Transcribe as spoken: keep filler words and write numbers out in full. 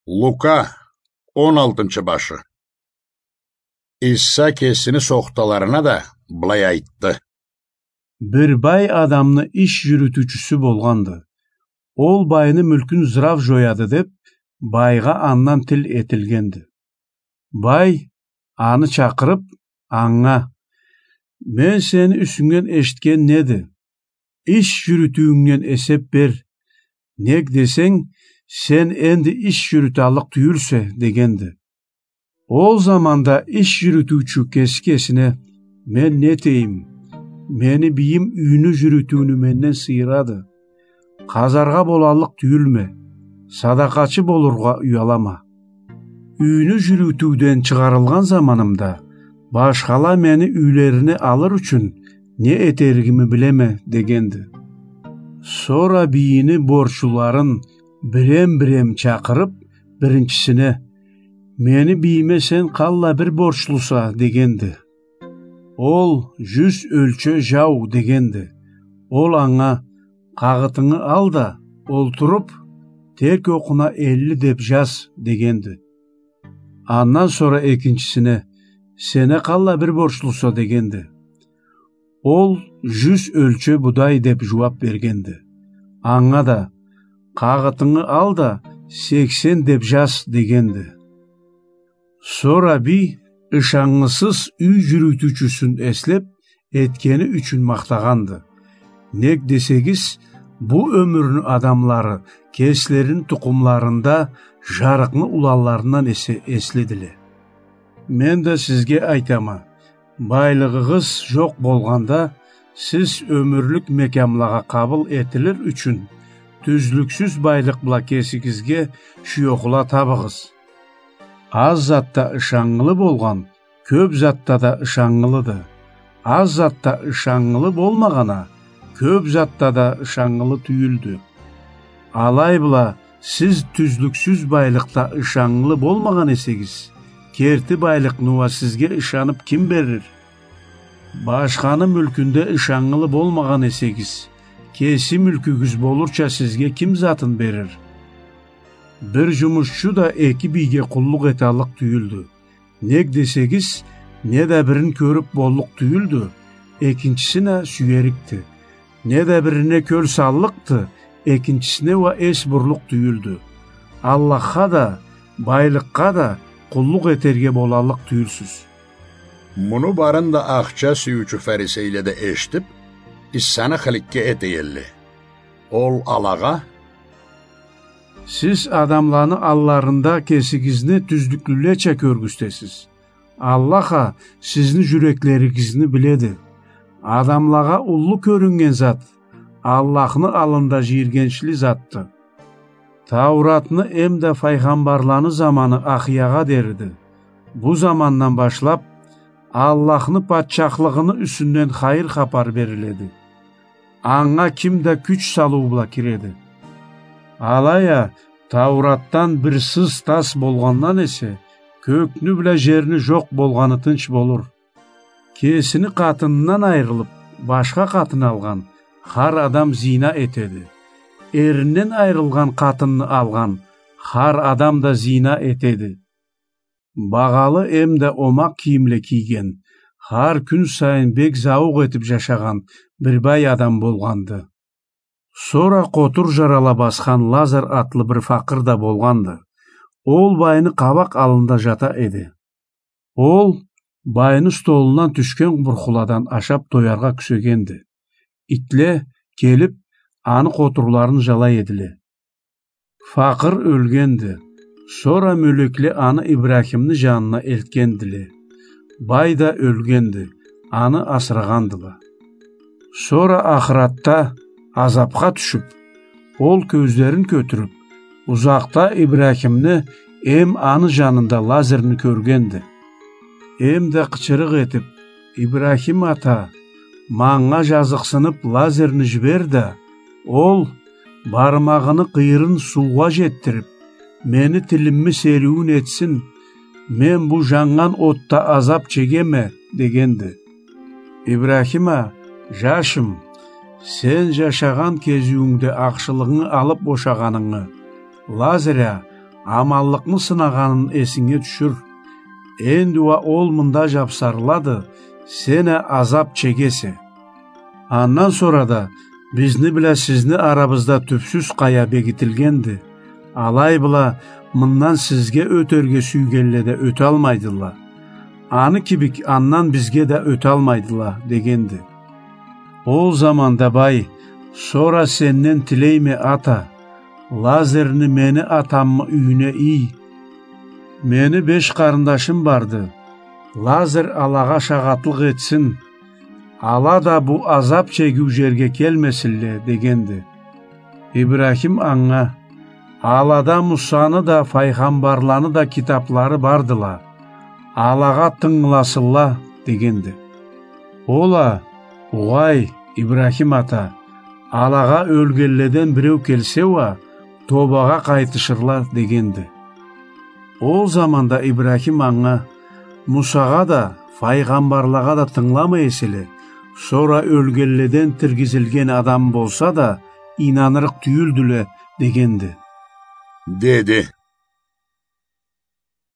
Лука, он алтынчы башы. Иса кесини сохталарына да былай айтды. Бир бай адамны иш жюрютюучюсю болгъанды. Ол байны мюлкюн зырав жояды деп, байгъа андан тил этилгенди. Бай, аны чакъырып, анга: «Мен сени юсюнгден эшитген неди? Иш жюрютюуюнгден эсеп бер. Нек десенг, сен энди иш жюрюталлыкъ тюйюлсе», — дегенди. Ол заманда иш жюрютюучю кеси кесине: «Мен не этейим? Мени бийим юйню жюрютюуню менден сыйырады. Къазаргъа болаллыкъ тюйюлме, садакъачы болургъа уялама. Юйню жюрютюуден чыгъарылгъан заманымда, башхала мени юйлерине алыр ючюн не этеригими билеме», — дегенди. Сора бийини борчлуларын бирем-бирем чакъырып, биринчисине: «Мени бийиме сен къалла бир борчлуса?» — дегенди. Ол: «Жюз ёлче жау», — дегенди. Ол анга: «Къагъытынгы ал да, олтуруп, терк окъуна элли деп жаз», — дегенди. Андан сора экинчисине: «Сене къалла бир борчлуса?» — дегенди. Ол: «Жюз ёлче будай», — деп жууап бергенди. Анга да: «Къагъытынгы ал да, сексен деп жаз», — дегенди. Сора бий ышаннгысыз юй жюрютюучюсюн эслеп, этгени ючюн махтагъанды. Нек десегиз, бу ёмюрню адамлары кеслерини тукъумларында жарыкъны уланларындан эсе эслидиле. Мен да сизге айтама, байлыгъыгъыз жокъ болгъанда, сиз ёмюрлюк мекямлагъа къабыл этилир ючюн, тюзлюксюз байлыкъ бла кесигизге шуёхула табыгъыз. Аз затда ышаннгылы болгъан кёп затда да ышаннгылыды. Аз затда ышаннгылы болмагъан а кёп затда да ышаннгылы тюйюлдю. Алай бла, сиз тюзлюксюз байлыкъда ышаннгылы болмагъан эсегиз, керти байлыкъны уа сизге ышанып ким берир? Башханы мюлкюнде ышаннгылы болмагъан эсегиз, кеси мюлкюгюз болурча сизге ким затын берир? Бир жумушчу да эки бийге къуллукъ эталлыкъ тюйюлдю. Нек десегиз, не да бирин кёрюп боллукъ тюйюлдю, экинчисин а сюерикди. Не да бирине кёл саллыкъды, экинчисине уа эс бурлукъ тюйюлдю. Аллахха да, байлыкъгъа да къуллукъ этерге болаллыкъ тюйюлсюз. Муну барын да ахча сюйюучю фарисейле да эшитип, Исаны хыликке этейелле. Ол алагъа: «Сиз адамланы алларында кесигизни тюзлюклюлеча кёргюзтесиз. Аллах а сизни жюреклеригизни биледи. Адамлагъа уллу кёрюннген зат Аллахны аллында жийиргенчли затды. Тауратны эмда файгъамбарланы заманы Ахиягъа дериди. Бу замандан башлап Аллахны патчахлыгъыны юсюнден хайыр хапар бериледи. Анга ким да кюч салыу бла киреди. Алай а, Тауратдан бир сыз тас болгъандан эсе, кёкню бла жерни жокъ болгъаны тынч болур. Кесини къатынындан айрылып, башха къатын алгъан хар адам зина этеди. Эринден айрылгъан къатынны алгъан хар адам да зина этеди». Багъалы эмда омакъ кийимле кийген, хар кюн сайын бек зауукъ этип жашагъан бир бай адам болгъанды. Сора къотур жарала басхан Лазар атлы бир факъыр да болгъанды. Ол байны къабакъ аллында жата эди. Ол байны столундан тюшген бурхуладан ашап тояргъа кюсегенди. Итле келип, аны къотурларын жалай эдиле. Факъыр ёлгенди. Сора мёлекле аны Ибрахимни жанына элтгендиле. Бай да ёлгенди. Аны асырагъандыла. Сора ахыратда азапха тюшюп, ол кёзлерин кётюрюп, узакъда Ибрахимни эм аны жанында Лазарны кёргенди. Эм да къычырыкъ этип: «Ибрахим ата, манга жазыкъсынып Лазарны жибер да, ол бармагъыны къыйырын суугъа жетдирип, мени тилимни сериуюн этсин, мен бу жаннган отда азап чегеме», — дегенди. Ибрахим а: «Жашым, сен жашагъан кезиуюнгде ахшылыгъынгы алып бошагъанынгы, Лазар а аманлыкъны сынагъанын эсинге тюшюр. Энди уа ол мында жапсарылады, сен а азап чегесе. Андан сора да бизни бла сизни арабызда тюпсюз къая бегитилгенди. Алай бла мындан сизге ётерге сюйгенле да ёталмайдыла. Аны кибик андан бизге да ёталмайдыла, дегенди. Ол заманда бай: «Сора сенден тилейме, ата, Лазарны мени атамы юйюне ий. Мени беш къарындашым барды. Лазар алагъа шагъатлыкъ этсин. Ала да бу азап чегиу жерге келмесинле», — дегенди. Ибрахим анга: «Алада Мусаны да, файгъамбарланы да китаплары бардыла. Алагъа тынгыласынла», — дегенди. Ол а: «Угъай, Ибрахим ата, алагъа ёлгенледен биреу келсе уа, тобагъа къайтышырла», — дегенди. Ол заманда Ибрахим анга: «Мусагъа да, файгъамбарлагъа да тынгыламай эселе, сора ёлгенледен тиргизилген адам болса да, ийнанырыкъ тюйюлдюле», — дегенди. Деди.